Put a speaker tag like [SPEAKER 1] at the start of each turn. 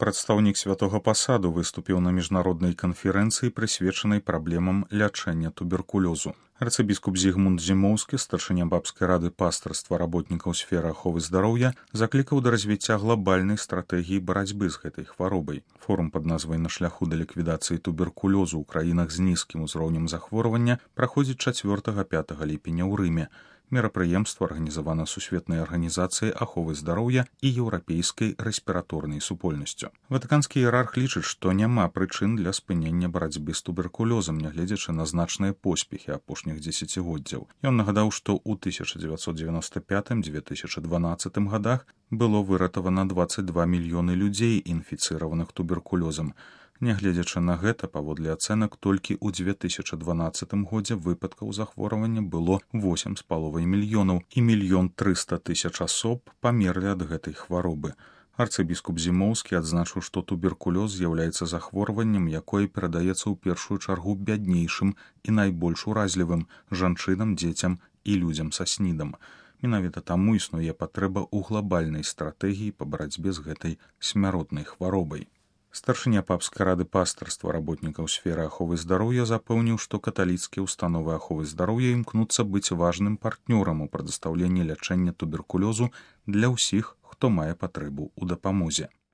[SPEAKER 1] Прадстаўнік святога пасаду выступіў на міжнароднай канферэнцыі, прысвечанай праблемам лячэння туберкулёзу. Арцыбіскуп Зігмунд Зімоўскі, старшыня бабскай рады пастырства работнікаў сферы аховы здароўя, заклікаў да развіцця глабальнай стратэгіі барацьбы з гэтай хваробай. Форум пад назвай «На шляху да ліквідацыі туберкулёзу ў краінах з нізкім узроўнем захворвання» праходзіць 4-5 ліпеня ў Рыме. Мерапрыемства арганізавана Сусветнай арганізацыяй аховы здароўя і еўрапейскай рэспіраторнай супольнасцю. Ватыканскі іерарх лічыць, што няма прычын для спынення барацьбы з туберкулёзам, нягледзячы на значныя поспехі апошніх дзесяцігоддзяў. Ён нагадаў, што ў 1995-2012 годах было выратавана 22 мільёны людзей, інфіцыраваных туберкулёзам. Нягледзячы на гэта, паводле ацэнак, толькі ў 2012 годзе выпадкаў захворвання было 8,5 мільёнаў і 1 300 000 асоб памерлі ад гэтай хваробы. Арцыбіскуп Зімоўскі адзначыў, што туберкулёз з'яўляецца захворваннем, якое перадаецца ў першую чаргу бяднейшым і найбольш уразлівым жанчынам, дзецям і людзям са СНІДам. Менавіта таму існуе патрэба ў глабальнай стратэгіі па барацьбе з гэтай смяротнай хваробай. Старшыня папскай рады пастырства работнікаў сферы аховы здароўя запэўніў, што каталіцкія ўстановы аховы здароўя імкнуцца быць важным партнёрам у прадастаўленні лячэння туберкулёзу для ўсіх, хто мае патрэбу ў дапамозе.